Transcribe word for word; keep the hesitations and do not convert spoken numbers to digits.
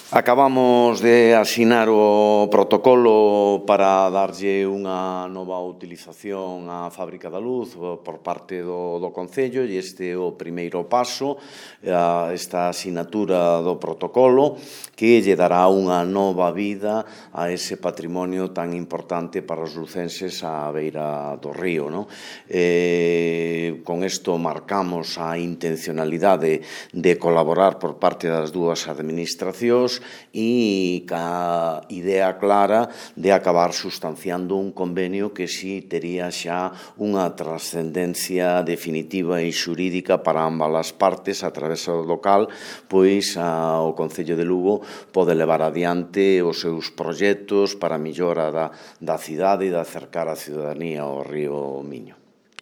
Acabamos de asinar o protocolo para darlle unha nova utilización á Fábrica da Luz por parte do, do Concello, e este é o primeiro paso, esta asinatura do protocolo que lle dará unha nova vida a ese patrimonio tan importante para os lucenses á beira do río, non? Eh, con isto marcamos a intencionalidade de colaborar por parte das dúas administracións e ca idea clara de acabar sustanciando un convenio que si tería xa unha trascendencia definitiva e xurídica para ambas as partes a través do local, pois a, o Concello de Lugo pode levar adiante os seus proxectos para a millora da, da cidade e de acercar a ciudadanía ao río Miño.